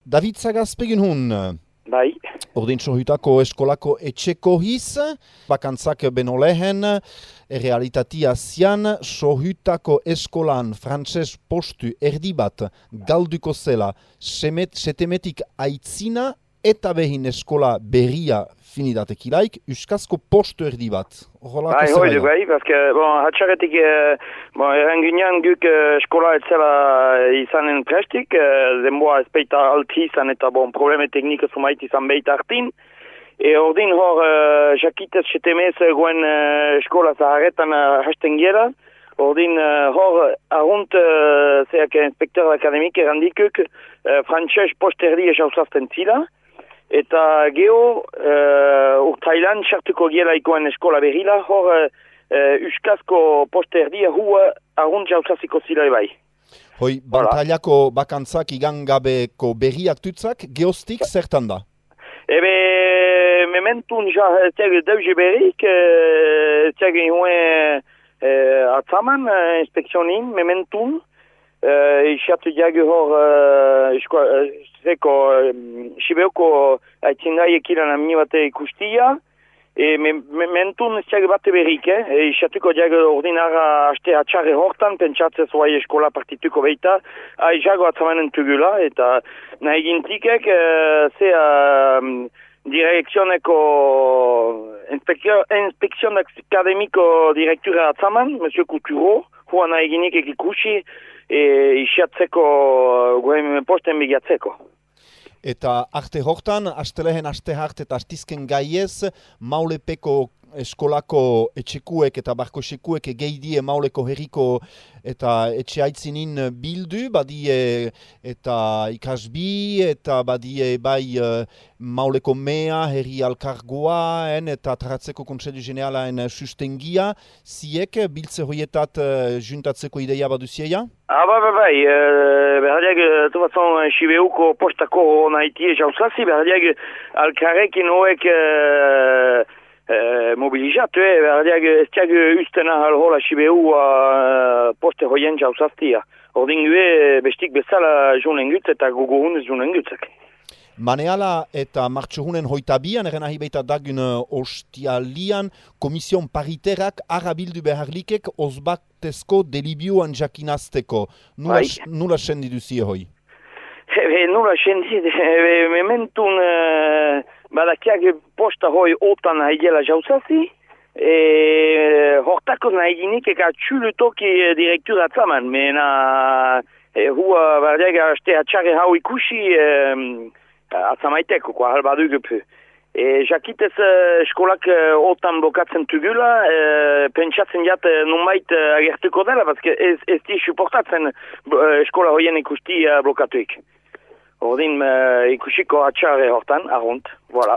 David Zagazpegin hun. Bai. Ordin sohutako eskolako etxeko hiz, bakantzak beno lehen, realitatea zian, sohutako eskolan frantses postu erdi bat galduko zela, setemetik aitzina eta behin eskola berria finidatekilaik, euskazko postu erdi bat. Bai, hoidu, bai, bazke, hatxarretik, erranginean guk eskola etzela izanen prestik, denboa ezpeita alti izan eta probleme teknika sumait izan behit hartin. Ordin hor, jakitez setemez goen eskola zaharretan hasten gela. Ordin hor, arunt, zeak inspektor akademik errandikuk, frantses posterdi esauzazten zila. Eta geho, urtailan sartuko gielaikoen eskola berrila, hor euskazko posterdia hua arunt jauzaziko zila bai. Hoi, bantailako bakantzak igangabeko berriak tutzak, geostik zertan da? Ebe, mementun tiag dauze berrik, tiag ihuen atzaman, inspekzionin, mementun, isiatu diag hor, Sibeoko aitzindai ekilan amini bate ikustia, mentun ziag bate berrik, isatuko diag ordinara haste atxarre hortan, pentsatzez oai eskola partituko beita, aizago atzamanen tugula, eta nahi gintikek, direkzioneko inspekzion akademiko direktura atzaman, Monsieur Couturo, hua nahi ginikek ikusi, isiatzeko gohen posten bigatzeko. Eta arte hortan, astelehen aste hart eta astizken gaiez, Maulepeko eskolako etxekuek eta barkosekuek geidie Mauleko herriko eta etxe aitzinin bildu, badie eta ikasbi, eta badie bai Mauleko mea, herri alkargoa, eta taratzeko kontseilu generalaen sustengia, ziek biltze hoietat juntatzeko ideia baduzieia? Bai, berdiak, tufazon, Sibeuko postako nahitie jauzazi, berdiak, alkarrekin hoek mobilizatu, berdiak, ez tiag ustena halhola Sibeu poste hoien jauzaztia. Ordin gue, bestik bezala junen gutz eta guguhunez junen gutzak. Maneala eta martxohunen hoitabian, eren ahibeita dagun ostialian, komision pariterak arabildu beharlikek ozbaktezko delibioan jakinazteko. Nula sendi duzie hoi? Nula sendi, mementun badakiak posta hoi otan haigela jauzazi, hortako nahi ginik eka txulutoki direktura atzaman, mena hua bardiak aste atxarre hau ikusi, atzamaiteko, halbadu gupu. Jakitez eskolak otan blokatzen tugula, pentsatzen jat numait agertuko dela, bazke ez di suportatzen eskola hoien ikusti blokatuik. Ordin ikusiko atxarre hortan, arunt, voilà.